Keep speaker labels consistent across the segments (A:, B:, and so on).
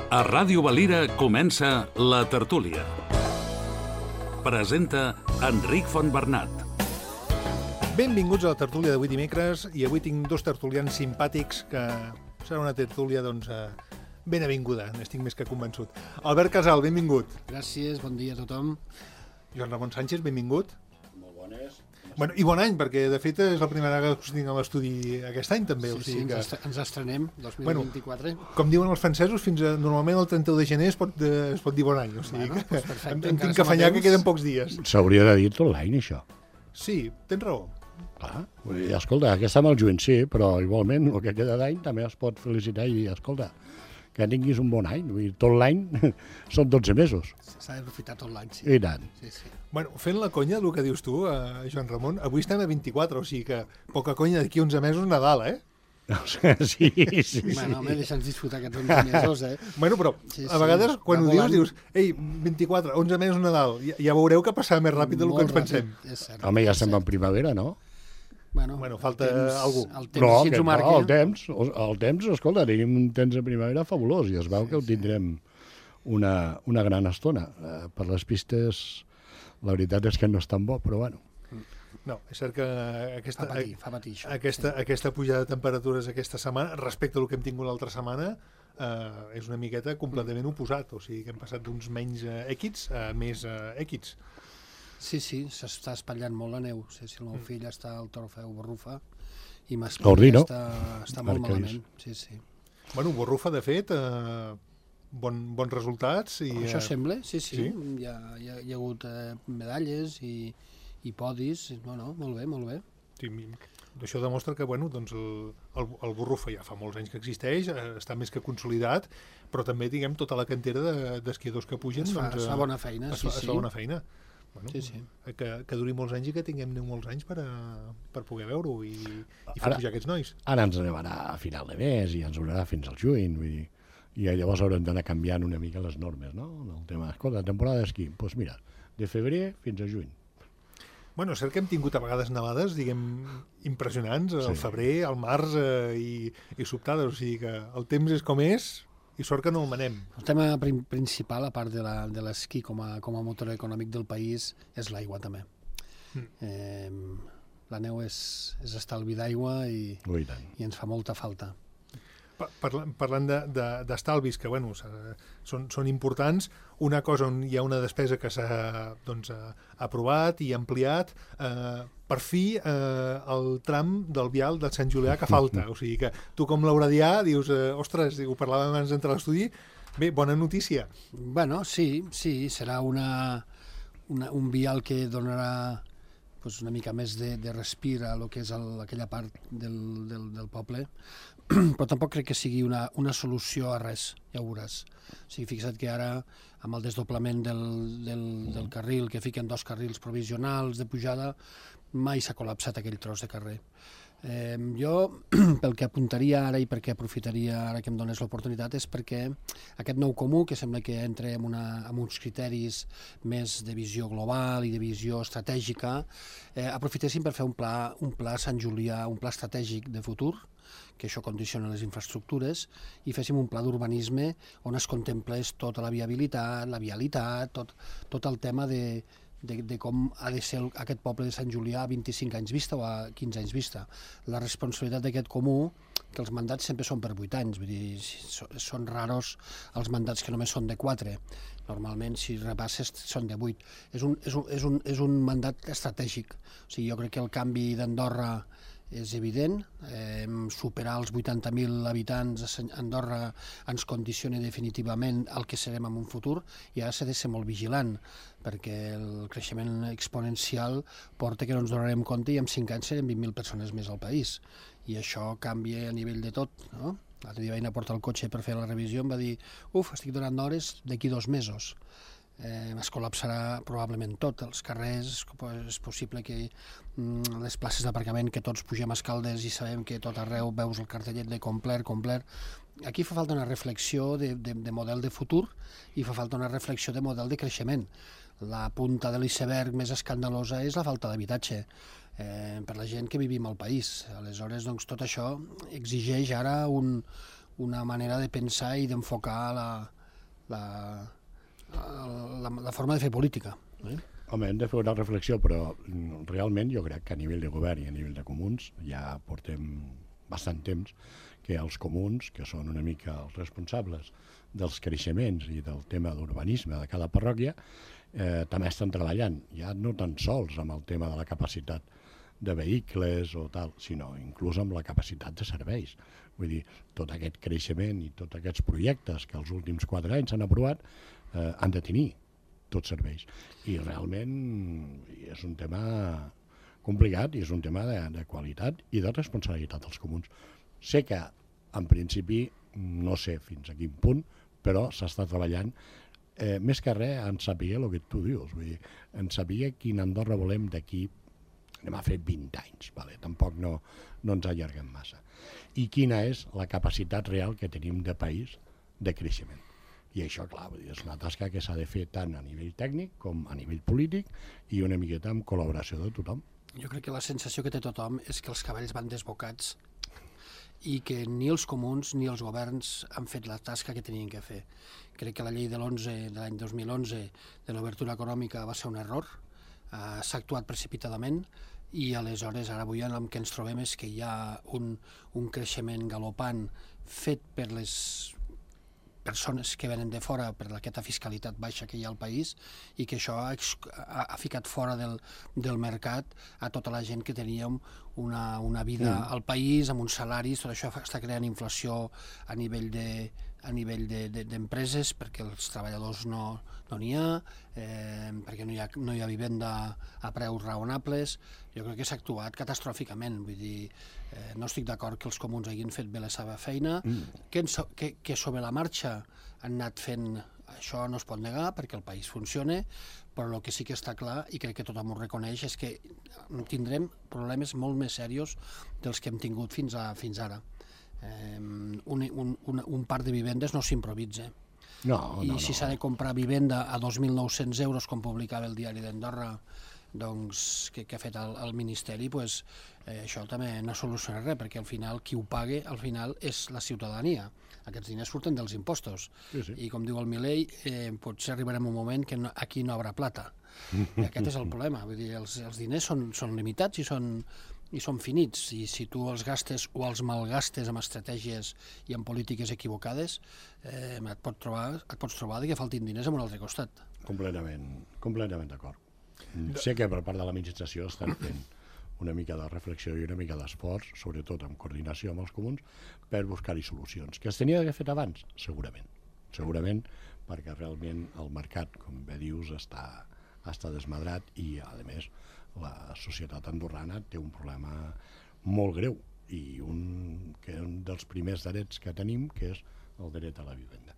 A: A Ràdio Valira comença La Tertúlia. Presenta Enric Fontbernat.
B: Benvinguts a La Tertúlia d'avui dimecres, i avui tinc dos tertulians simpàtics que serà una tertúlia, ben avinguda, n'estic més que convençut. Albert Casal, benvingut.
C: Gràcies, bon dia a tothom.
B: Joan Ramon Sánchez, benvingut.
D: Molt bones.
B: Bueno, i bon any, perquè de fet és la primera vegada que us tinc a l'estudi aquest any també.
C: Sí, ens estrenem, 2024.
B: Com diuen els francesos, normalment el 31 de gener es pot dir bon any. O sigui,
C: Bueno, doncs perfecte,
B: em tinc que afanyar que queden pocs dies.
D: S'hauria de dir tot l'any, això.
B: Sí, tens raó.
D: Clar, vull dir, escolta, aquest amb el juny sí, però igualment el que queda d'any també es pot felicitar i dir, escolta, que tinguis un bon any. Vull dir, tot l'any són 12 mesos.
C: S'ha d'aprofitar tot l'any, sí.
D: I tant.
C: Sí.
B: Bueno, fent la conya del que dius tu, Joan Ramon, avui estem a 24, o sigui que poca conya, d'aquí 11 mesos Nadal, eh?
D: Sí.
C: Bueno, home, deixa'ns disfrutar aquests 11 mesos, eh?
B: Bueno, però
C: Sí,
B: a vegades quan ho
C: volant.
B: dius, ei, 24, 11 mesos Nadal, ja veureu que passarà més ràpid del que ens pensem.
C: És cert.
D: Home, ja estem en primavera, no?
B: Bueno, falta algú.
C: El temps, si ens ho marca.
D: El temps, escolta, tenim un temps de primavera fabulós i es veu que ho tindrem una gran estona. Per les pistes, la veritat és que no és tan bo, però bueno.
B: No, és cert que
C: Fa patir, això.
B: aquesta pujada de temperatures aquesta setmana, respecte al que hem tingut l'altra setmana, és una miqueta completament oposat. O sigui que hem passat d'uns menys èquids a més èquids.
C: Sí, s'està espatllant molt la neu. Sí, el meu fill està al Trofeu Borrufa i
D: Ordino.
C: està molt malament. Sí.
B: Bueno, Borrufa, de fet, bons resultats.
C: Això sembla, sí.
B: Sí?
C: Hi ha hagut medalles i podis. Bueno, molt bé.
B: Sí, això demostra que el Borrufa ja fa molts anys que existeix, està més que consolidat, però també, diguem, tota la cantera d'esquiadors que pugen...
C: Es fa bona feina,
B: es fa bona feina. Bueno,
C: Sí.
B: Que duri molts anys i que tinguem molts anys per poder veure-ho i fer pujar aquests nois.
D: Ara ens nevarà a final de mes i ens durarà fins al juny, vull dir, i llavors haurem d'anar canviant una mica les normes, no? El tema, escolta, temporada d'esquí, doncs mira, de febrer fins a juny.
B: Bueno, és cert que hem tingut a vegades nevades, diguem, impressionants, al febrer, al març i sobtades, o sigui que el temps és com és i sort que no el manem.
C: El tema principal, a part de l'esquí com a motor econòmic del país, és l'aigua, també. La neu és estalvi d'aigua i ens fa molta falta.
B: Parlant d'estalvis, que bueno, són importants, una cosa on hi ha una despesa que s'ha aprovat i ampliat, per fi el tram del vial de Sant Julià que falta. O sigui que tu com l'Auradià dius, ostres, ho parlàvem abans d'entrar a l'estudi, bé, bona notícia.
C: Bueno, sí, serà un vial que donarà una mica més de respir a lo que és aquella part del poble, però tampoc crec que sigui una solució a res, ja ho veuràs. O sigui, fixa't que ara, amb el desdoblament del carril, que fiquen 2 carrils provisionals de pujada, mai s'ha col·lapsat aquell tros de carrer. Jo, pel que apuntaria ara i perquè aprofitaria ara que em dones l'oportunitat, és perquè aquest nou comú, que sembla que entra amb uns criteris més de visió global i de visió estratègica, aprofitéssim per fer un pla Sant Julià, un pla estratègic de futur, que això condiciona les infraestructures, i féssim un pla d'urbanisme on es contemplés tota la viabilitat, la vialitat, tot el tema de com ha de ser aquest poble de Sant Julià a 25 anys vista o a 15 anys vista. La responsabilitat d'aquest comú, que els mandats sempre són per 8 anys, vull dir, són raros els mandats que només són de 4. Normalment, si repasses, són de 8. És un mandat estratègic. O sigui, jo crec que el canvi d'Andorra és evident, superar els 80.000 habitants a Andorra ens condiciona definitivament el que serem en un futur, i ara s'ha de ser molt vigilant, perquè el creixement exponencial porta que no ens donarem compte i en 5 anys serem 20.000 persones més al país, i això canvia a nivell de tot, no? L'altre dia vaig anar a portar el cotxe per fer la revisió, em va dir, estic donant hores d'aquí 2 mesos. Es col·lapsarà probablement tot, els carrers, és possible que les places d'aparcament, que tots pugem a Escaldes i sabem que tot arreu veus el cartellet de complet. Aquí fa falta una reflexió de model de futur i fa falta una reflexió de model de creixement. La punta de l'iceberg més escandalosa és la falta d'habitatge per la gent que vivim al país. Aleshores, doncs, tot això exigeix ara una manera de pensar i d'enfocar la forma de fer política.
D: Home, hem de fer una reflexió, però realment jo crec que a nivell de govern i a nivell de comuns ja portem bastant temps que els comuns, que són una mica els responsables dels creixements i del tema d'urbanisme de cada parròquia, també estan treballant, ja no tan sols amb el tema de la capacitat de vehicles o tal, sinó inclús amb la capacitat de serveis. Vull dir, tot aquest creixement i tots aquests projectes que els últims 4 anys s'han aprovat han de tenir tots serveis. I realment és un tema complicat i és un tema de qualitat i de responsabilitat dels comuns. Sé que, en principi, no sé fins a quin punt, però s'està treballant més que res en saber el que tu dius, vull dir, en saber quina Andorra volem d'aquí, anem a fer 20 anys, vale? Tampoc no ens allarguem massa. I quina és la capacitat real que tenim de país de creixement. I això, clar, vull dir, és una tasca que s'ha de fer tant a nivell tècnic com a nivell polític i una miqueta amb col·laboració de tothom.
C: Jo crec que la sensació que té tothom és que els cavalls van desbocats i que ni els comuns ni els governs han fet la tasca que tenien que fer. Crec que la llei de l'any 2011 de l'obertura econòmica va ser un error, s'ha actuat precipitadament i aleshores ara avui el que ens trobem és que hi ha un creixement galopant fet per les persones que venen de fora per aquesta fiscalitat baixa que hi ha al país i que això ha ficat fora del mercat a tota la gent que teníem una vida al país amb uns salaris. Tot això està creant inflació a nivell d'empreses perquè els treballadors no n'hi ha, perquè no hi ha vivenda a preus raonables. Jo crec que s'ha actuat catastròficament, vull dir, no estic d'acord que els comuns hagin fet bé la seva feina, que sobre la marxa han anat fent, això no es pot negar perquè el país funciona, però el que sí que està clar, i crec que tothom ho reconeix, és que tindrem problemes molt més serios dels que hem tingut fins ara. Un parc de vivendes no s'improvisa. I si s'ha de comprar vivenda a 2.900 euros, com publicava el Diari d'Andorra, doncs, que ha fet el Ministeri, doncs, això també no soluciona res, perquè al final qui ho paga al final és la ciutadania. Aquests diners surten dels impostos.
D: Sí.
C: I com diu el Milei, potser arribarem a un moment que aquí no haurà plata. I aquest és el problema. Vull dir, els diners són limitats i són finits, i si tu els gastes o els malgastes amb estratègies i amb polítiques equivocades, et pots trobar que faltin diners a un altre costat.
D: Completament d'acord. Sé que per part de l'administració estan fent una mica de reflexió i una mica d'esforç, sobretot en coordinació amb els comuns, per buscar-hi solucions. Que es tenia d'haver fet abans? Segurament, perquè realment el mercat, com bé dius, està desmadrat i, a més, la societat andorrana té un problema molt greu i un dels primers drets que tenim, que és el dret a la vivenda.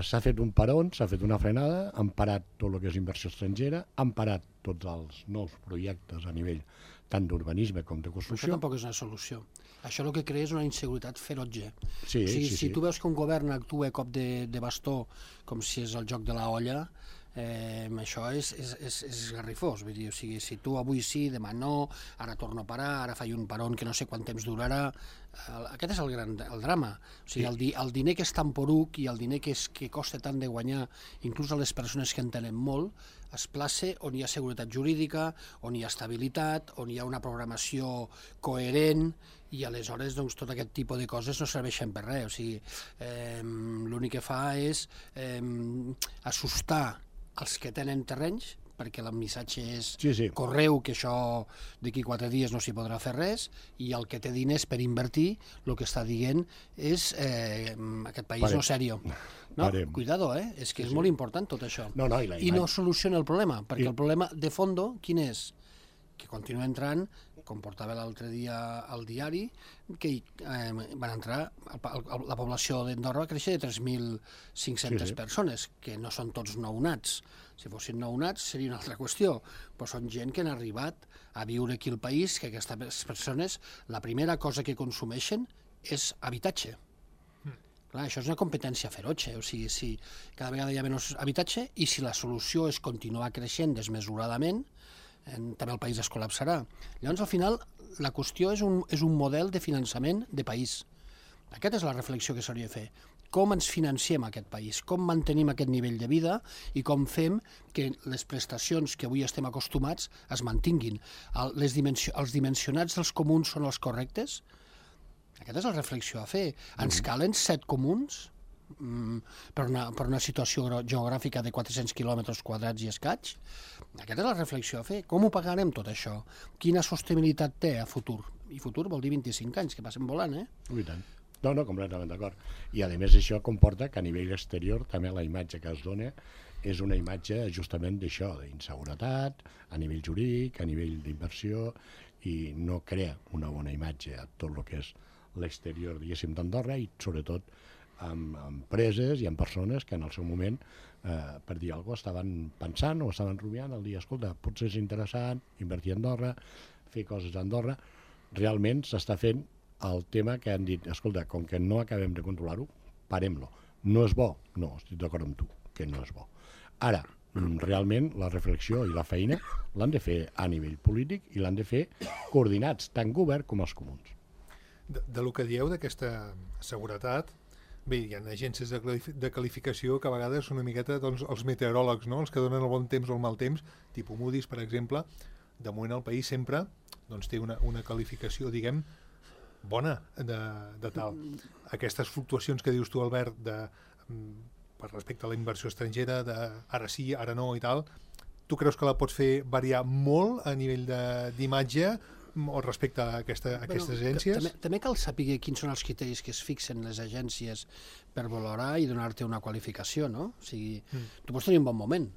D: S'ha fet un peron, s'ha fet una frenada, han parat tot el que és inversió estrangera, han parat tots els nous projectes a nivell tant d'urbanisme com de construcció.
C: Això tampoc és una solució. Això el que crea és una inseguretat ferotge.
D: Sí.
C: Si tu veus que un govern actua a cop de bastó, com si és el joc de la olla, això és esgarrifós. Vull dir, o sigui, si tu avui sí, demà no, ara torno a parar, ara faig un peron que no sé quant temps durarà, aquest és el drama. O sigui, el diner que és tan poruc i el diner que costa tant de guanyar, inclús a les persones que en tenen molt, es plaça on hi ha seguretat jurídica, on hi ha estabilitat, on hi ha una programació coherent, i aleshores doncs, tot aquest tipus de coses no serveixen per res. O sigui, l'únic que fa és assustar els que tenen terrenys, perquè el missatge és correu que això d'aquí 4 dies no s'hi podrà fer res, i el que té diners per invertir el que està dient és aquest país no serio. No, cuidado, és que és molt important tot això. I no soluciona el problema, perquè el problema de fondo quin és? Que continua entrant, com portava l'altre dia al diari, que van entrar, la població d'Andorra va créixer de 3.500 persones, que no són tots nounats. Si fossin nounats seria una altra qüestió, però són gent que han arribat a viure aquí al país, que aquestes persones, la primera cosa que consumeixen és habitatge. Clar, això és una competència ferotge, o sigui, cada vegada hi ha menys habitatge, i si la solució és continuar creixent desmesuradament, també el país es col·lapsarà. Llavors, al final, la qüestió és un model de finançament de país. Aquesta és la reflexió que s'hauria de fer. com ens financiem aquest país, com mantenim aquest nivell de vida i com fem que les prestacions que avui estem acostumats es mantinguin. Els dimensionats dels comuns són els correctes? Aquesta és la reflexió a fer. Ens calen 7 comuns per una situació geogràfica de 400 quilòmetres quadrats i escaig? Aquesta és la reflexió a fer. Com ho pagarem tot això? Quina sostenibilitat té a futur? I futur vol dir 25 anys, que passen volant,
D: I tant. No, completament d'acord. I a més això comporta que a nivell exterior també la imatge que es dona és una imatge justament d'això, d'inseguretat, a nivell jurídic, a nivell d'inversió, i no crea una bona imatge a tot el que és l'exterior, diguéssim, d'Andorra, i sobretot amb empreses i amb persones que en el seu moment, per dir alguna cosa, estaven pensant o estaven rumiant el dia, escolta, potser és interessant invertir a Andorra, fer coses a Andorra. Realment s'està fent el tema que han dit, escolta, com que no acabem de controlar-ho, parem-lo. No és bo? No, estic d'acord amb tu, que no és bo. Ara, realment la reflexió i la feina l'han de fer a nivell polític i l'han de fer coordinats, tant govern com els comuns.
B: De lo que dieu d'aquesta seguretat, bé, hi ha agències de qualificació que a vegades són una miqueta doncs, els meteoròlegs, no? Els que donen el bon temps o el mal temps, tipus Moody's, per exemple. De moment el país sempre doncs, té una qualificació, diguem, bona de tal. Aquestes fluctuacions que dius tu, Albert, per respecte a la inversió estrangera, de ara sí, ara no i tal, tu creus que la pots fer variar molt a nivell d'imatge o respecte a aquestes agències?
C: També cal saber quins són els criteris que es fixen les agències per valorar i donar-te una qualificació, no? O sigui, tu pots tenir un bon moment.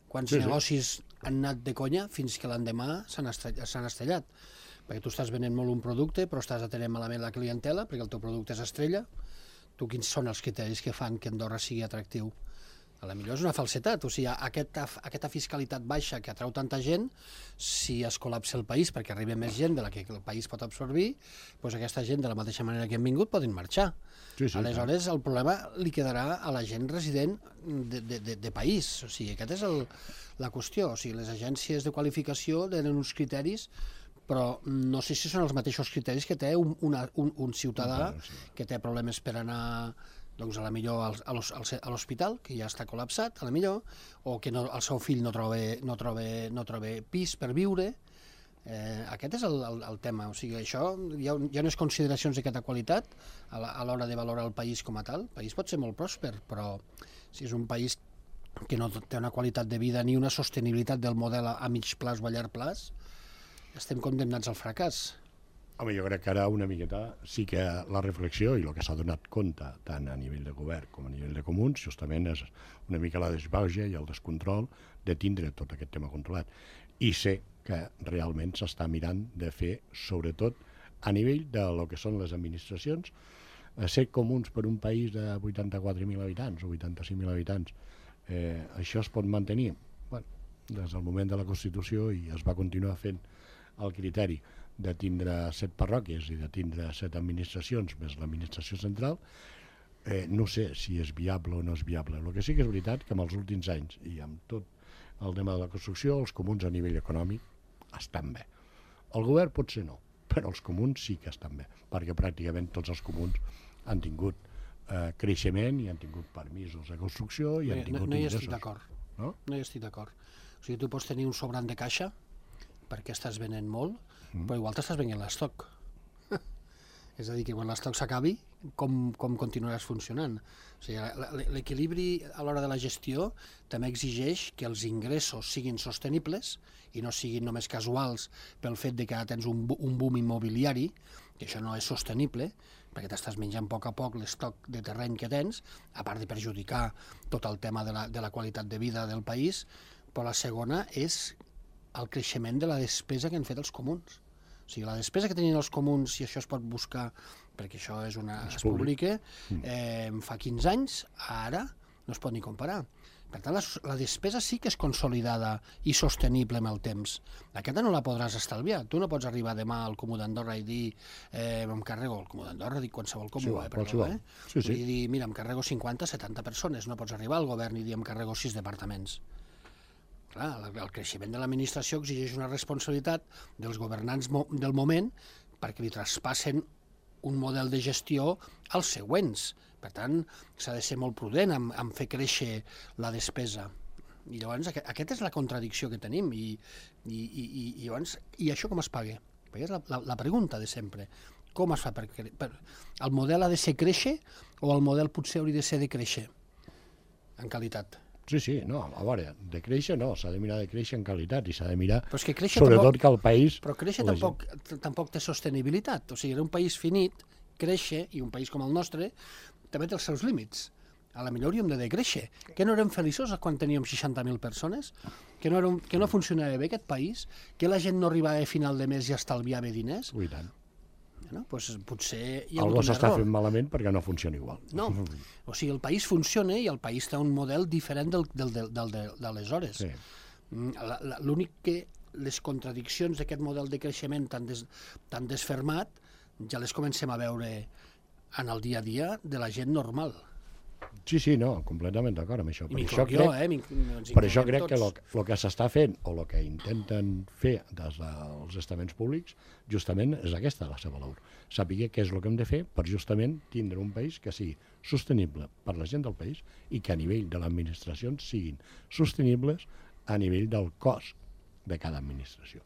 C: Quants negocis han anat de conya fins que l'endemà s'han estrellat. Perquè tu estàs venent molt un producte, però estàs atenent malament la clientela, perquè el teu producte és estrella. Tu, quins són els criteris que fan que Andorra sigui atractiu? A la millor és una falsetat, o sigui, aquesta fiscalitat baixa que atrau tanta gent, si es col·lapsa el país perquè arriba més gent de la que el país pot absorbir, doncs aquesta gent, de la mateixa manera que han vingut, poden marxar. Aleshores, el problema li quedarà a la gent resident de país. O sigui, aquesta és la qüestió. O sigui, les agències de qualificació tenen uns criteris, però no sé si són els mateixos criteris que té un ciutadà que té problemes per anar doncs a la millor a l'hospital, que ja està col·lapsat, a la millor, o que el seu fill no troba pis per viure. Aquest és el tema. O sigui, això hi ha unes consideracions d'aquesta qualitat a l'hora de valorar el país com a tal. El país pot ser molt pròsper, però si és un país que no té una qualitat de vida ni una sostenibilitat del model a mig plaç o a llarg plaç, estem condemnats al fracàs.
D: Home, jo crec que ara una miqueta sí que la reflexió i el que s'ha donat compte tant a nivell de govern com a nivell de comuns justament és una mica la desbauja i el descontrol de tindre tot aquest tema controlat. I sé que realment s'està mirant de fer, sobretot a nivell de lo que són les administracions, ser comuns per un país de 84.000 habitants o 85.000 habitants. Això es pot mantenir? Bueno, des del moment de la Constitució, i es va continuar fent el criteri de tindre 7 parròquies i de tindre 7 administracions més l'administració central, no sé si és viable o no és viable. El que sí que és veritat que en els últims anys i amb tot el tema de la construcció, els comuns a nivell econòmic estan bé. El govern potser no, però els comuns sí que estan bé, perquè pràcticament tots els comuns han tingut creixement i han tingut permisos de construcció i han tingut ingressos.
C: No hi estic d'acord. No hi estic d'acord. O sigui, tu pots tenir un sobrant de caixa perquè estàs venent molt, però igual t'estàs venent l'estoc. És a dir, que quan l'estoc s'acabi, com continuaràs funcionant? O sigui, l'equilibri a l'hora de la gestió també exigeix que els ingressos siguin sostenibles i no siguin només casuals pel fet de que ara tens un boom immobiliari, que això no és sostenible, perquè t'estàs menjant a poc l'estoc de terreny que tens, a part de perjudicar tot el tema de la qualitat de vida del país, però la segona és el creixement de la despesa que han fet els comuns. O sigui, la despesa que tenien els comuns, i això es pot buscar, perquè això es publica, fa 15 anys, ara no es pot ni comparar. Per tant, la despesa sí que és consolidada i sostenible amb el temps. Aquesta no la podràs estalviar. Tu no pots arribar demà al Comú d'Andorra i dir em carrego el Comú d'Andorra, dic qualsevol comú, i dir, mira, em carrego 50-70 persones. No pots arribar al govern i dir em carrego 6 departaments. Clar, el creixement de l'administració exigeix una responsabilitat dels governants del moment perquè li traspassen un model de gestió als següents. Per tant, s'ha de ser molt prudent en fer créixer la despesa. I llavors aquesta és la contradicció que tenim i això com es paga? Perquè és la pregunta de sempre. Com es fa el model ha de ser créixer o el model potser hauria de ser de créixer en qualitat?
D: Sí, no, a veure, de créixer no, s'ha de mirar de créixer en qualitat i s'ha de mirar
C: però és que créixer
D: sobretot que el país...
C: Però créixer tampoc té sostenibilitat, o sigui, era un país finit, créixer, i un país com el nostre també té els seus límits. A la millor hauríem de decréixer. Que no érem feliços quan teníem 60.000 persones? Que no funcionava bé aquest país? Que la gent no arribava a final de mes i estalviava diners?
D: Ui, tant.
C: No? Pues potser hi ha
D: algo
C: hagut un
D: s'està
C: error.
D: fent malament perquè no funciona igual.
C: No, o sigui, el país funciona i el país té un model diferent d'aleshores.
D: Sí.
C: L'únic que les contradiccions d'aquest model de creixement tan desfermat ja les comencem a veure en el dia a dia de la gent normal.
D: Sí, no, completament d'acord amb això.
C: I m'incloc jo,
D: Per això crec que el que s'està fent o el que intenten fer des dels estaments públics justament és aquesta la seva labor. Saber què és el que hem de fer per justament tindre un país que sigui sostenible per la gent del país i que a nivell de l'administració siguin sostenibles a nivell del cost de cada administració.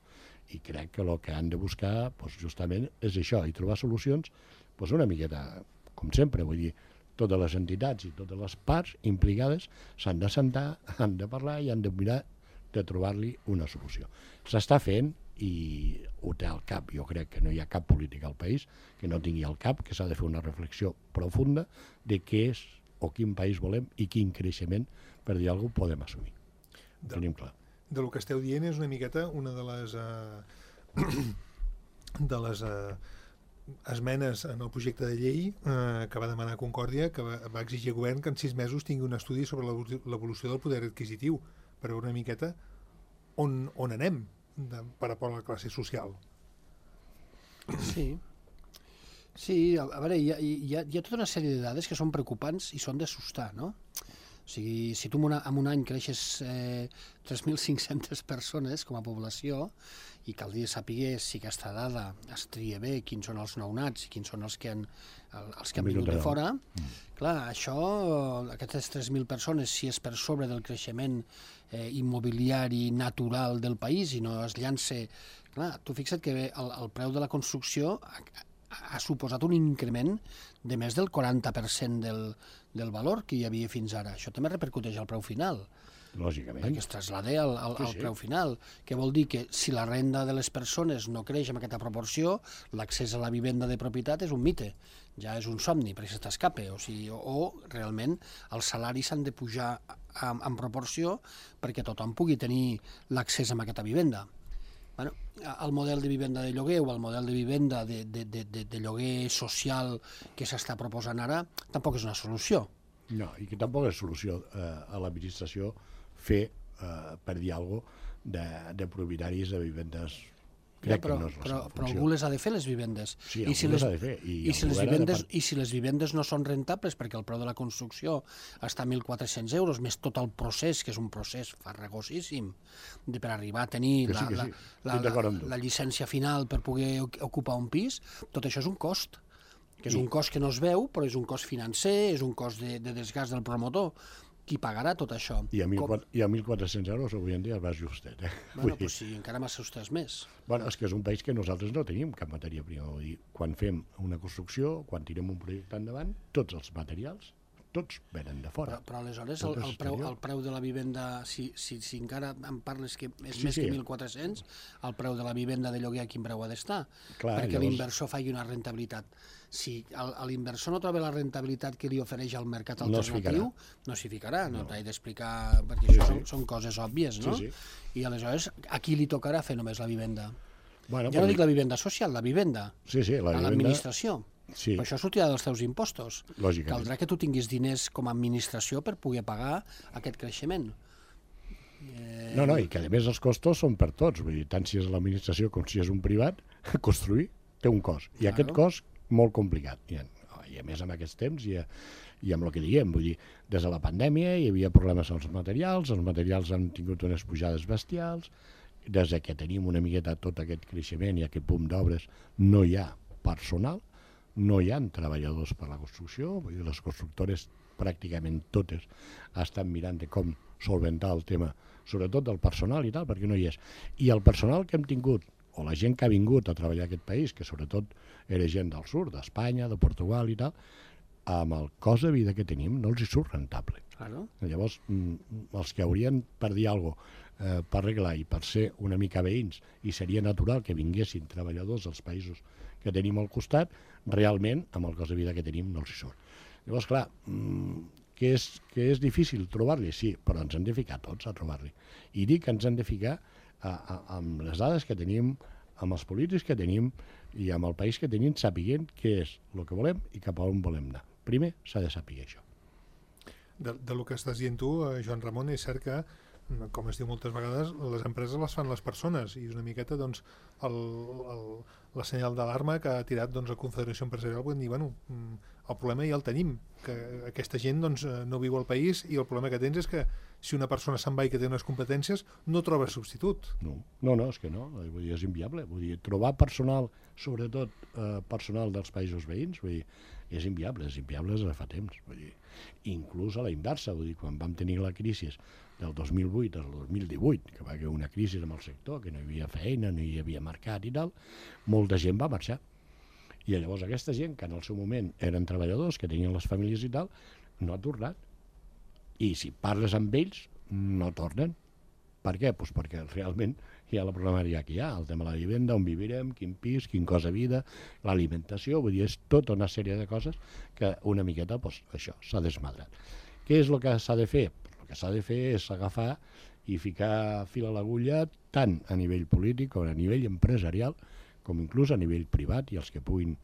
D: I crec que el que han de buscar justament és això, i trobar solucions una miqueta, com sempre, vull dir, totes les entitats i totes les parts implicades s'han de sentar, han de parlar i han de mirar de trobar-li una solució. S'està fent i ho té al cap. Jo crec que no hi ha cap política al país que no tingui al cap, que s'ha de fer una reflexió profunda de què és o quin país volem i quin creixement, per dir alguna cosa, podem assumir. Ho tenim clar.
B: De lo que esteu dient és una miqueta una de les esmenes en el projecte de llei que va demanar Concòrdia, que va exigir al govern que en 6 mesos tingui un estudi sobre l'evolució del poder adquisitiu per veure una miqueta on anem per a la classe social.
C: Sí, a veure, hi ha tota una sèrie de dades que són preocupants i són d'assustar, no? O sigui, si tu en un any creixes 3.500 persones com a població i caldria saber si aquesta dada es tria bé, quins són els nounats i quins són els que han vingut de fora, clar, aquestes 3.000 persones, si és per sobre del creixement immobiliari natural del país i no es llança... Clar, tu fixa't que el preu de la construcció ha suposat un increment de més del 40% del valor que hi havia fins ara. Això també repercuteix al preu final.
D: Lògicament.
C: Perquè es trasllada al preu final, que vol dir que si la renda de les persones no creix en aquesta proporció, l'accés a la vivenda de propietat és un mite, ja és un somni, perquè se t'escape, o realment els salaris s'han de pujar en proporció perquè tothom pugui tenir l'accés a aquesta vivenda. Bueno, el model de vivenda de lloguer o el model de vivenda de lloguer social que s'està proposant ara tampoc és una solució.
D: No, i que tampoc és solució a l'administració fer, per dir alguna cosa, de propietaris de vivendes. Crec que no és la seva funció.
C: Però algú les ha de fer, les vivendes.
D: Sí, algú les ha de fer.
C: I si les vivendes no són rentables perquè el preu de la construcció està a 1.400 euros, més tot el procés, que és un procés farragosíssim, per arribar a tenir la llicència final per poder ocupar un pis, tot això és un cost, que és un cost que no es veu, però és un cost financer, és un cost de desgast del promotor. Qui pagarà tot això?
D: I a 1.400 euros avui en dia vas justet.
C: Bueno, doncs sí, encara m'assustes més.
D: Bueno, és que és un país que nosaltres no tenim cap matèria prima. Vull dir, quan fem una construcció, quan tirem un projecte endavant, tots els materials, tots venen de fora.
C: Però aleshores el preu de la vivenda, si encara em parles que és més que 1.400, el preu de la vivenda de lloguer a quin preu ha d'estar? Perquè l'inversor faci una rentabilitat. Si l'inversor no troba la rentabilitat que li ofereix al mercat alternatiu, no s'hi ficarà, no t'he d'explicar, perquè això són coses òbvies, no? I aleshores a qui li tocarà fer només la vivenda? Ja no dic la vivenda social, la vivenda a l'administració. Però això sortirà dels teus impostos. Caldrà que tu tinguis diners com a administració per poder pagar aquest creixement.
D: No, i que a més els costos són per tots, vull dir, tant si és l'administració com si és un privat, construir té un cost, i aquest cost molt complicat, i a més amb aquests temps i amb el que diguem, vull dir, des de la pandèmia hi havia problemes als materials, els materials han tingut unes pujades bestials, des que tenim una miqueta tot aquest creixement i aquest boom d'obres no hi ha personal, no hi ha treballadors per la construcció, vull dir, les constructores pràcticament totes estan mirant de com solventar el tema, sobretot del personal i tal, perquè no hi és. I el personal que hem tingut, o la gent que ha vingut a treballar a aquest país, que sobretot era gent del sud, d'Espanya, de Portugal i tal, amb el cost de vida que tenim no els hi surt rentable.
C: Claro.
D: Llavors, els que haurien, per dir alguna cosa, per arreglar i per ser una mica veïns, i seria natural que vinguessin treballadors dels països que tenim al costat, realment, amb el cost de vida que tenim, no els hi surt. Llavors, clar, que és difícil trobar-li, sí, però ens hem de ficar tots a trobar-li. I dic que ens hem de ficar amb les dades que tenim, amb els polítics que tenim i amb el país que tenim, sapiguent què és el que volem i cap a on volem anar. Primer s'ha de saber això.
B: Del que estàs dient tu, Joan Ramon, és cert que, com es diu moltes vegades, les empreses les fan les persones, i és una miqueta doncs, la senyal d'alarma que ha tirat doncs, la Confederació Empresarial, vull dir, bueno, el problema ja el tenim, que aquesta gent doncs, no viu al país, i el problema que tens és que si una persona se'n va i que té unes competències, no troba substitut.
D: No, és que no, vull dir, és inviable. Vull dir, trobar personal, sobretot personal dels països veïns, vull dir, és inviable des de fa temps. Vull dir, inclús a la inversa, vull dir, quan vam tenir la crisi del 2008 al 2018, que va haver una crisi amb el sector, que no hi havia feina, no hi havia mercat i tal, molta gent va marxar. I llavors aquesta gent, que en el seu moment eren treballadors, que tenien les famílies i tal, no ha tornat. I si parles amb ells, no tornen. Per què? Pues perquè realment hi ha la problemàtica que hi ha, el tema de la vivenda, on vivirem, quin pis, quin cost de vida, l'alimentació, vull dir, és tota una sèrie de coses que una miqueta, pues, això, s'ha desmadrat. Què és el que s'ha de fer? El que s'ha de fer és agafar i ficar fil a l'agulla tant a nivell polític com a nivell empresarial, com inclús a nivell privat, i els que puguin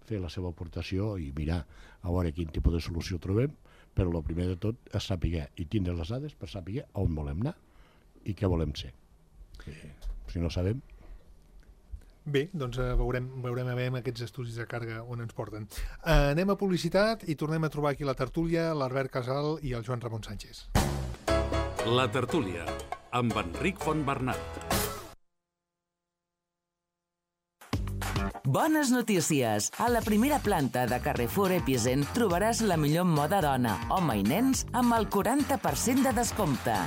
D: fer la seva aportació i mirar a veure quin tipus de solució trobem, però el primer de tot és saber i tindre les dades per saber on volem anar i què volem ser. Si no sabem...
B: Bé, doncs veurem a veure aquests estudis de càrrega on ens porten. Anem a publicitat i tornem a trobar aquí la tertúlia, l'Albert Casal i el Joan Ramon Sánchez.
A: La tertúlia, amb Enric Fontbernat.
E: Bones notícies! A la primera planta de Carrefour Epicent trobaràs la millor moda dona, home i nens amb el 40% de descompte.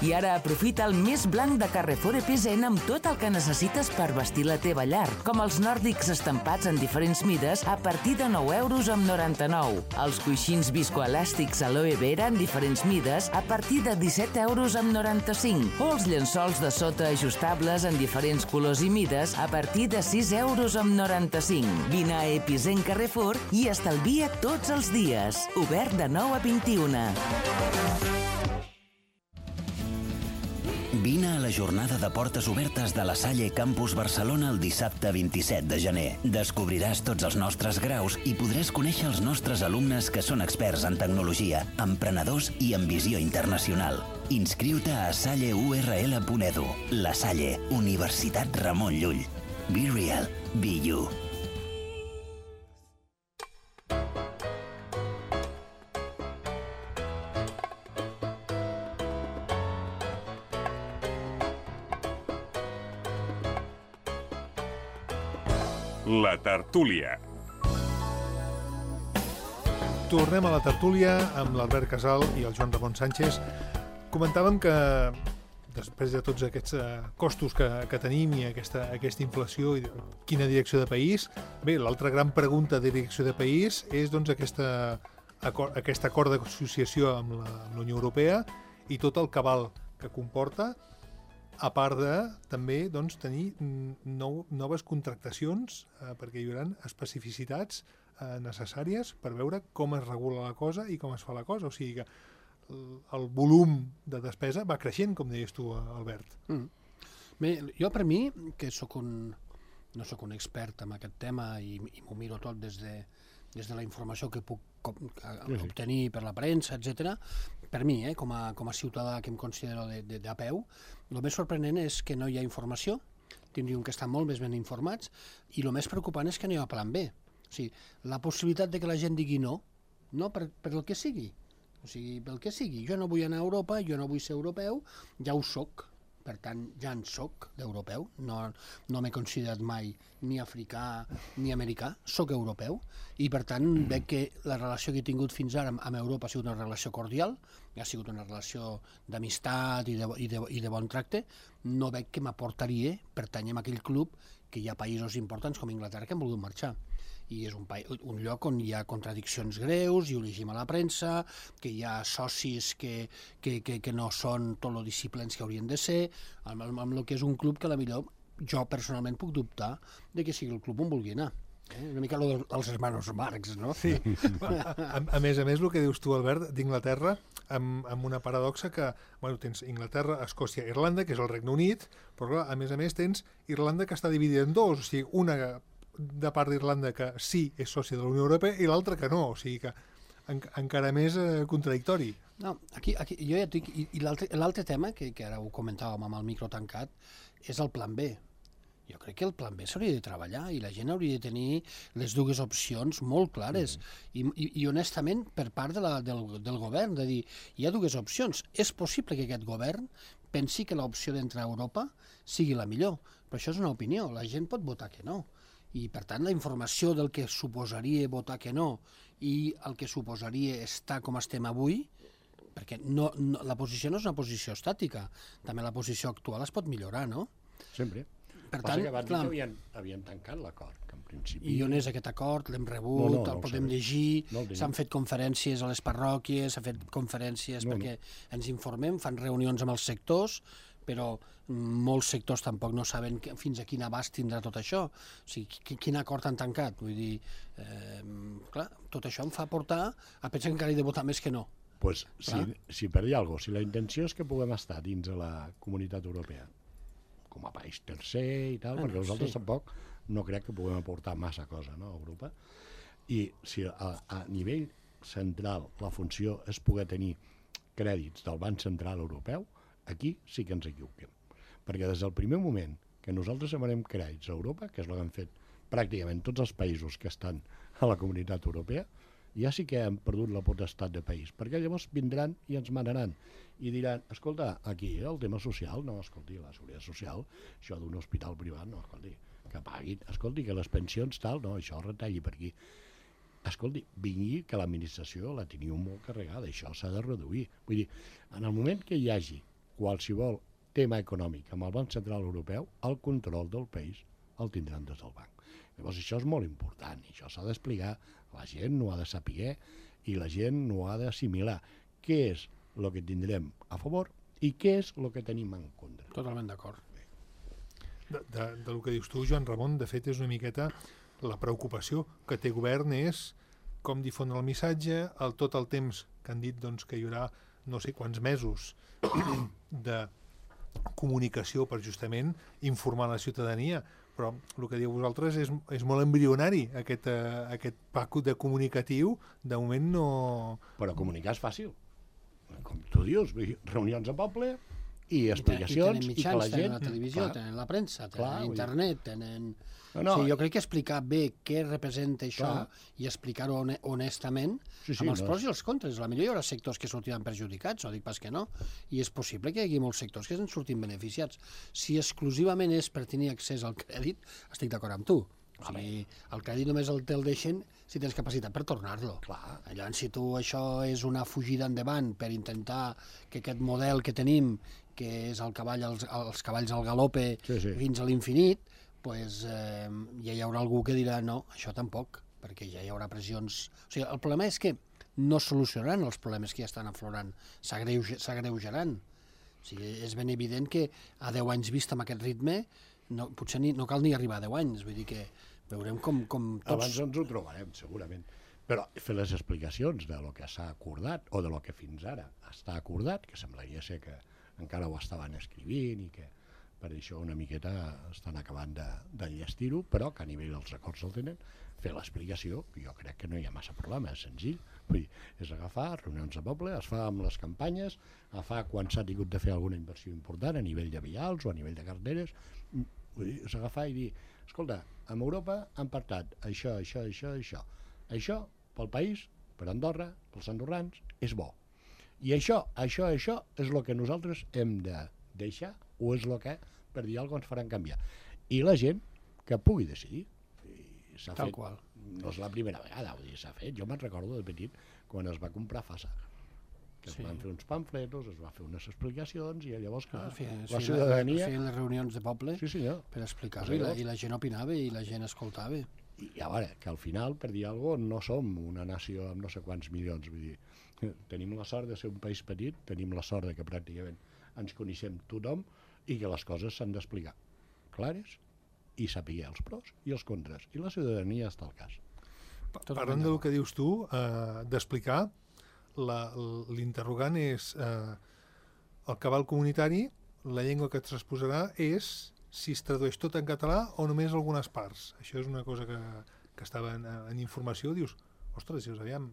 E: I ara aprofita el més blanc de Carrefour Epicent amb tot el que necessites per vestir la teva llar, com els nòrdics estampats en diferents mides a partir de 9,99 €, els coixins viscoelàstics aloe vera en diferents mides a partir de 17,95 € o els llençols de sota ajustables en diferents colors i mides a partir de 6,95 €. Vine a Epicent Carrefour i estalvia tots els dies. Obert de 9 a 21.
F: Vine a la jornada de portes obertes de la Salle Campus Barcelona el dissabte 27 de gener. Descobriràs tots els nostres graus i podràs conèixer els nostres alumnes que són experts en tecnologia, emprenedors i en visió internacional. Inscriu-te a salleurl.edu. La Salle, Universitat Ramon Llull. Be real, be you.
G: La tertúlia.
B: Tornem a la tertúlia amb l'Albert Casal i el Joan Ramon Sánchez. Comentàvem que després de tots aquests costos que tenim i aquesta inflació, i quina direcció de país, bé, l'altra gran pregunta de direcció de país és doncs, aquest acord d'associació amb la Unió Europea i tot el cabal que comporta, a part de també doncs, tenir noves contractacions, perquè hi haurà especificitats necessàries per veure com es regula la cosa i com es fa la cosa. O sigui que el volum de despesa va creixent, com deies tu, Albert.
C: Bé, jo per mi, que no soc un expert en aquest tema i m'ho miro tot des de la informació que puc obtenir per la premsa, etc. Per mi, com a ciutadà que em considero de peu, el més sorprenent és que no hi ha informació, tindríem que estar molt més ben informats, i el més preocupant és que no hi ha plan B. O sigui, la possibilitat de que la gent digui no per el que sigui. O sigui, pel que sigui. Jo no vull anar a Europa, jo no vull ser europeu, ja ho soc. per tant ja en soc d'europeu, no m'he considerat mai ni africà ni americà, soc europeu, i per tant veig que la relació que he tingut fins ara amb Europa ha sigut una relació cordial, ha sigut una relació d'amistat i de bon tracte. No veig que m'aportaria pertànyer a aquell club que hi ha països importants com Inglaterra que han volgut marxar. I és un lloc on hi ha contradiccions greus, i ho llegim a la premsa, que hi ha socis que no són tot lo disciplins que haurien de ser, amb el que és un club que potser jo personalment puc dubtar de que sigui el club on vulgui anar. Una mica els hermanos Marx, no?
B: Sí. A més, el que dius tu, Albert, d'Inglaterra, amb una paradoxa que, bueno, tens Inglaterra, Escòcia, Irlanda, que és el Regne Unit, però clar, a més tens Irlanda que està dividida en dos, o sigui, una de part d'Irlanda que sí és sòcia de la Unió Europea i l'altra que no, o sigui que encara més contradictori.
C: No, aquí jo ja et dic, i l'altre tema, que ara ho comentàvem amb el micro tancat, és el plan B. Jo crec que el plan B s'hauria de treballar i la gent hauria de tenir les dues opcions molt clares. I honestament, per part del govern, de dir, hi ha dues opcions. És possible que aquest govern pensi que l'opció d'entrar a Europa sigui la millor, però això és una opinió. La gent pot votar que no. I, per tant, la informació del que suposaria votar que no i el que suposaria estar com estem avui, perquè la posició no és una posició estàtica, també la posició actual es pot millorar, no?
D: Sempre.
C: Per tant,
D: clar, havien tancat l'acord, que en principi...
C: I on és aquest acord? L'hem rebut, el podem llegir, s'han fet conferències a les parròquies, s'han fet conferències perquè ens informem, fan reunions amb els sectors, però molts sectors tampoc no saben fins a quin abast tindrà tot això. O sigui, quin acord han tancat? Vull dir, clar, tot això em fa portar a pensar que encara he de votar més que no.
D: Pues, si per dir alguna cosa, si la intenció és que puguem estar dins de la Comunitat Europea, com a país tercer i tal, perquè nosaltres tampoc no crec que puguem aportar massa cosa, no, a Europa, i si a nivell central la funció és poder tenir crèdits del Banc Central Europeu, aquí sí que ens equivoquem. Perquè des del primer moment que nosaltres demanem crèdits a Europa, que és el que han fet pràcticament tots els països que estan a la Comunitat Europea, ja sí que hem perdut la potestat de país, perquè llavors vindran i ens manaran i diran, escolta, aquí el tema social, no, escolti, la seguretat social, això d'un hospital privat, no, escolti, que paguin, escolti, que les pensions tal, no, això retalli per aquí. Escolti, vingui que l'administració la teniu molt carregada, això s'ha de reduir. Vull dir, en el moment que hi hagi qualsevol tema econòmic amb el Banc Central Europeu, el control del país el tindran des del banc. Llavors això és molt important, i això s'ha d'explicar, la gent no ha de saber i la gent no ha d'assimilar què és el que tindrem a favor i què és el que tenim en contra.
C: Totalment d'acord.
B: Del que dius tu, Joan Ramon, de fet és una miqueta la preocupació que té govern és com difondre el missatge, tot el temps que han dit doncs, que hi haurà no sé quants mesos de comunicació per justament informar la ciutadania, però el que diu vosaltres és molt embrionari, aquest pack de comunicatiu, de moment no...
D: Però comunicar és fàcil, com tu dius, reunions a poble i explicacions,
C: i que la gent... Tenen la televisió, tenen la premsa, tenen internet, tenen... Sí, jo crec que explicar bé què representa això i explicar-ho honestament amb els pros i els contres. A la millor hi haurà sectors que sortiran perjudicats, no dic pas que no, i és possible que hi hagi molts sectors que en surtin beneficiats. Si exclusivament és per tenir accés al crèdit, estic d'acord amb tu. O sigui, el crèdit només el deixen si tens capacitat per tornar-lo. Llavors, si tu això és una fugida endavant per intentar que aquest model que tenim, que és els cavalls al galope fins a l'infinit, pues, ja hi haurà algú que dirà no, això tampoc, perquè ja hi haurà pressions... O sigui, el problema és que no solucionaran els problemes que ja estan aflorant, s'agreujaran. O sigui, és ben evident que a 10 anys vist amb aquest ritme potser no cal ni arribar a 10 anys, vull dir que veurem com tots...
D: Abans ens ho trobarem, segurament. Però fer les explicacions de lo que s'ha acordat, o de lo que fins ara està acordat, que semblaria ser que encara ho estaven escrivint i que per això una miqueta estan acabant d'enllestir-ho, però que a nivell dels acords el tenen, fer l'explicació, jo crec que no hi ha massa problema, és senzill. Vull dir, és agafar reunions de poble, es fa amb les campanyes, agafar quan s'ha tingut de fer alguna inversió important a nivell de vials o a nivell de carreteres, vull dir, és agafar i dir, escolta, a Europa han partat això, això, això, això. Això, pel país, per Andorra, pels andorrans, és bo. I això és el que nosaltres hem de deixar o és el que, per dir alguna cosa ens faran canviar. I la gent que pugui decidir. I s'ha
C: Tal
D: fet,
C: qual.
D: no és la primera vegada, vull dir, s'ha fet. Jo me'n recordo de petit quan es va comprar FASA, que es van fer uns pamfletos, es va fer unes explicacions i llavors que la ciutadania...
C: Feien les reunions de poble per explicar-ho i la gent opinava i la gent escoltava.
D: I a veure, que al final, per dir alguna cosa, no som una nació amb no sé quants milions, vull dir, tenim la sort de ser un país petit, tenim la sort de que pràcticament ens coneixem tothom i que les coses s'han d'explicar clares i saber els pros i els contres. I la ciutadania està al cas.
B: Parlant del que dius tu, d'explicar, l'interrogant és el cabal comunitari, la llengua que et transposarà és si es tradueix tot en català o només algunes parts. Això és una cosa que estava en informació. Dius, ostres, aviam,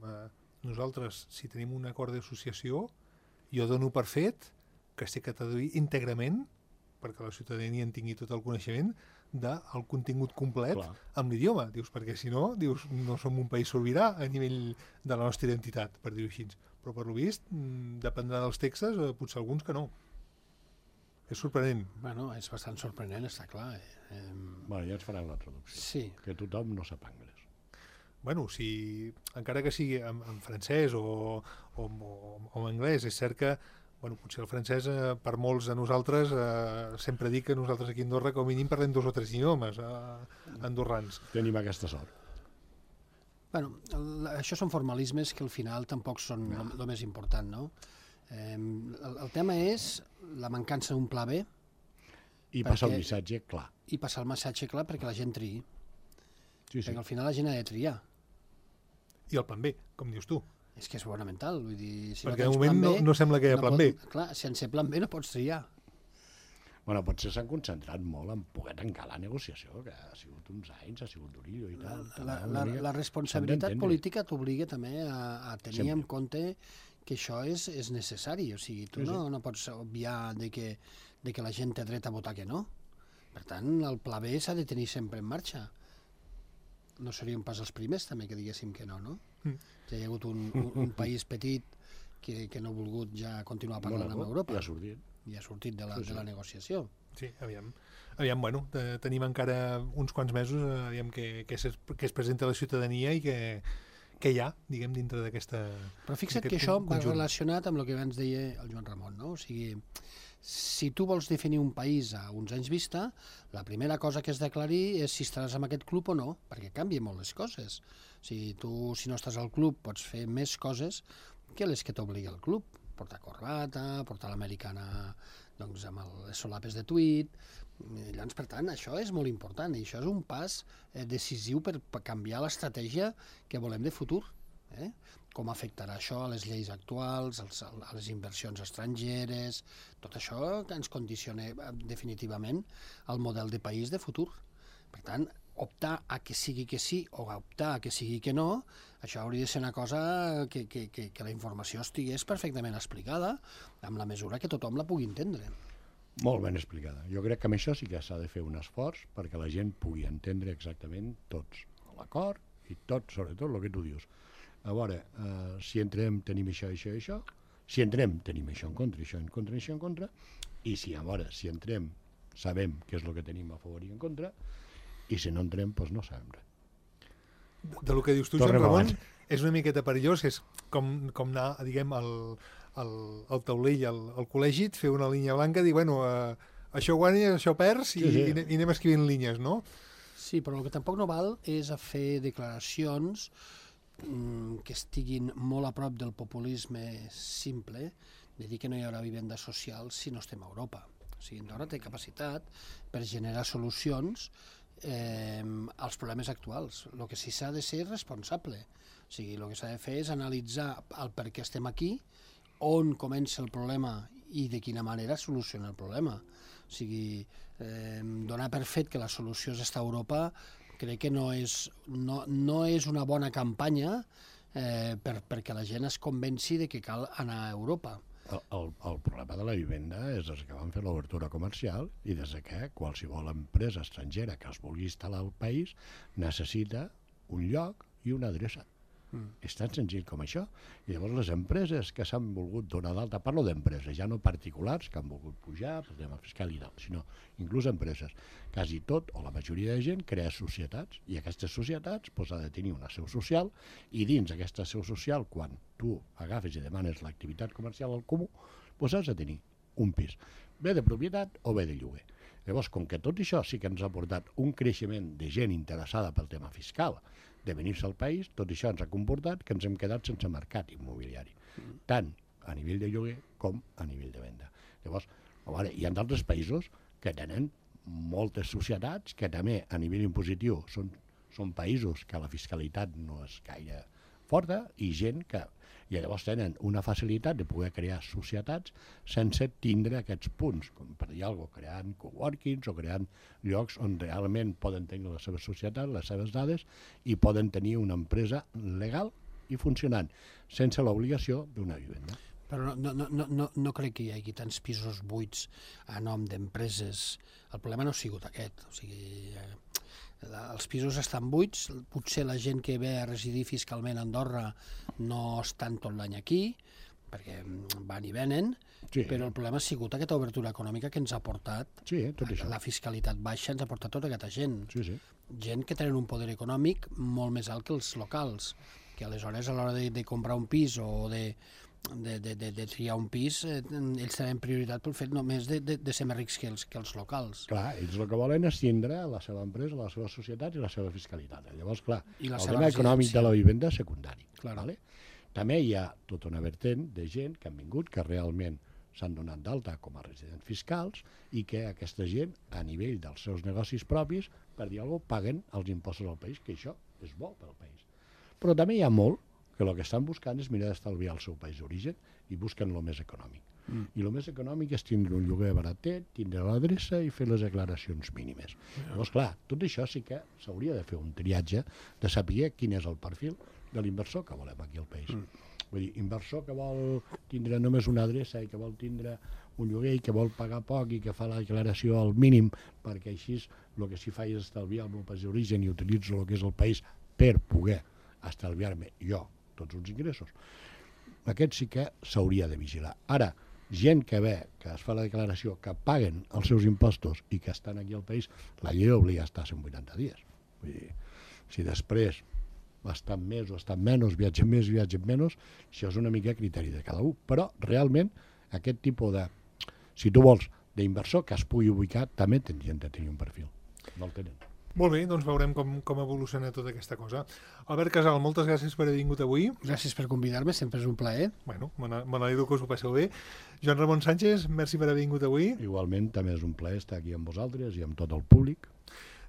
B: nosaltres, si tenim un acord d'associació, jo dono per fet que s'ha de traduir íntegrament, perquè la ciutadania en tingui tot el coneixement, del contingut complet amb l'idioma. Dius, perquè si no, dius, no som un país sobirà a nivell de la nostra identitat, per dir-ho així. Però per lo vist, dependrà dels textos, potser alguns que no. És sorprenent.
C: Bueno, és bastant sorprenent, està clar.
D: Bueno, ja ens faran la traducció.
C: Sí.
D: Que tothom no sap anglès.
B: Bueno, si, encara que sigui en francès o en anglès, és cert que potser el francès, per molts de nosaltres, sempre dic que nosaltres aquí a Andorra com a mínim parlem 2 o 3 idiomes andorrans.
D: Tenim aquesta sort.
C: Bueno, això són formalismes que al final tampoc són el més important, no? El tema és la mancança d'un pla B.
D: I passar el missatge clar.
C: I passar el missatge clar perquè la gent triï.
D: Sí.
C: Perquè al final la gent ha de triar.
B: I el plan B, com dius tu.
C: És que és fonamental. Vull dir, si
B: perquè de moment no sembla que hi ha plan B.
C: Clar, sense plan B no pots triar.
D: Bueno, potser s'han concentrat molt en poder tancar la negociació, que ha sigut uns anys, ha sigut durillo i tal.
C: La responsabilitat política t'obliga també a tenir en compte que això és necessari. O sigui, tu no pots obviar de que la gent té dret a votar que no. Per tant, el pla B s'ha de tenir sempre en marxa. No seríem pas els primers també que diguéssim que no, no? Ja hi ha hagut un país petit que no ha volgut ja continuar parlant amb Europa. I ha sortit de la negociació.
B: Sí, aviam, tenim encara uns quants mesos aviam que es presenta a la ciutadania i que hi ha, diguem, dintre d'aquesta...
C: Però fixa't que això va relacionat amb el que abans deia el Joan Ramon, no? O sigui, si tu vols definir un país a uns anys vista, la primera cosa que has d'aclarir és si estaràs en aquest club o no, perquè canvien molt les coses. O sigui, tu, si no estàs al club, pots fer més coses que les que t'obliga el club. Portar corbata, portar l'americana doncs, amb les solapes de tuit. Llavors, per tant, això és molt important i això és un pas decisiu per canviar l'estratègia que volem de futur. Com afectarà això a les lleis actuals, a les inversions estrangeres, tot això que ens condiciona definitivament el model de país de futur. Per tant, optar a que sigui que sí o optar a que sigui que no, això hauria de ser una cosa que la informació estigués perfectament explicada amb la mesura que tothom la pugui entendre.
D: Molt ben explicada. Jo crec que amb això sí que s'ha de fer un esforç perquè la gent pugui entendre exactament tots l'acord i tot, sobretot, el que tu dius. A veure, si entrem tenim això, això i això, si entrem tenim això en contra, això en contra, això en contra, i si si entrem sabem què és el que tenim a favor i en contra, i si no entrem, doncs no sabem res.
B: Del que dius tu, Joan Ramon, és una miqueta perillós, és com anar, diguem, al taulell, al col·legi, fer una línia blanca, dir, bueno, això guanyes, això perds, i anem escrivint línies, no?
C: Sí, però el que tampoc no val és a fer declaracions que estiguin molt a prop del populisme simple, de dir que no hi haurà vivenda social si no estem a Europa. O sigui, Andorra té capacitat per generar solucions als problemes actuals. El que sí s'ha de ser responsable. O sigui, el que s'ha de fer és analitzar el per què estem aquí, on comença el problema i de quina manera soluciona el problema. O sigui, donar per fet que la solució és estar a Europa crec que no és una bona campanya perquè la gent es convenci de que cal anar a Europa.
D: El problema de la vivenda és des que van fer l'obertura comercial i des que qualsevol empresa estrangera que es vulgui instal·lar al país necessita un lloc i una adreça. És tan senzill com això. I llavors les empreses que s'han volgut donar d'alta, parlo d'empreses, ja no particulars que han volgut pujar pel tema fiscal i tal, sinó inclús empreses. Quasi tot, o la majoria de gent, crea societats, i aquestes societats ha de tenir una seu social, i dins aquesta seu social, quan tu agafes i demanes l'activitat comercial al comú, has de tenir un pis, bé de propietat o bé de lloguer. Llavors, com que tot això sí que ens ha portat un creixement de gent interessada pel tema fiscal, de venir-se al país, tot això ens ha comportat que ens hem quedat sense mercat immobiliari, tant a nivell de lloguer com a nivell de venda. Llavors, hi ha d'altres països que tenen moltes societats que també a nivell impositiu són països que la fiscalitat no és gaire forta i gent que llavors tenen una facilitat de poder crear societats sense tindre aquests punts, com per dir alguna cosa, creant coworkings o creant llocs on realment poden tenir la seva societat, les seves dades, i poden tenir una empresa legal i funcionant, sense l'obligació d'una vivenda.
C: Però no crec que hi hagi tants pisos buits a nom d'empreses. El problema no ha sigut aquest. O sigui, els pisos estan buits, potser la gent que ve a residir fiscalment a Andorra no estan tot l'any aquí, perquè van i venen, però el problema ha sigut aquesta obertura econòmica que ens ha portat, la fiscalitat baixa ens ha portat tota aquesta gent. Gent que tenen un poder econòmic molt més alt que els locals, que aleshores a l'hora de comprar un pis o de triar un pis, ells tenen prioritat pel fet només de ser més rics que els locals.
D: Clar, ells el que volen és tindre la seva empresa, la seva societat i la seva fiscalitat. Llavors, clar, el tema econòmic de la vivenda és secundari. També hi ha tota una vertent de gent que han vingut, que realment s'han donat d'alta com a residents fiscals i que aquesta gent, a nivell dels seus negocis propis, per dir alguna cosa, paguen els impostos al país, que això és bo pel país. Però també hi ha molt que el que estan buscant és mirar d'estalviar el seu país d'origen i busquen el més econòmic. I el més econòmic és tindre un lloguer baratet, tindre l'adreça i fer les declaracions mínimes. Llavors, clar, tot això sí que s'hauria de fer un triatge de saber quin és el perfil de l'inversor que volem aquí al país. Vull dir, inversor que vol tindre només una adreça i que vol tindre un lloguer i que vol pagar poc i que fa la declaració al mínim perquè així el que s'hi fa és estalviar el meu país d'origen i utilitzo el que és el país per poder estalviar-me jo tots uns ingressos. Aquest sí que s'hauria de vigilar. Ara, gent que ve, que es fa la declaració, que paguen els seus impostos i que estan aquí al país, la llei obliga a estar 180 dies. Vull dir, si després estan més o estan menys, viatgen més, viatgen menys, això és una mica criteri de cada un. Però, realment, aquest tipus de, si tu vols, d'inversor que es pugui ubicar, també tindrien de tenir un perfil. No el tenen.
B: Molt bé, doncs veurem com evoluciona tota aquesta cosa. Albert Casal, moltes gràcies per haver vingut avui.
C: Gràcies per convidar-me, sempre és un plaer.
B: Bueno, me n'alegro que us ho passeu bé. Joan Ramon Sánchez, merci per haver vingut avui.
D: Igualment, també és un plaer estar aquí amb vosaltres i amb tot el públic.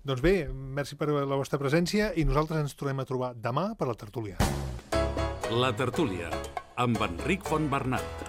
B: Doncs bé, merci per la vostra presència i nosaltres ens tornem a trobar demà per la tertúlia.
A: La tertúlia, amb Enric Fontbernat.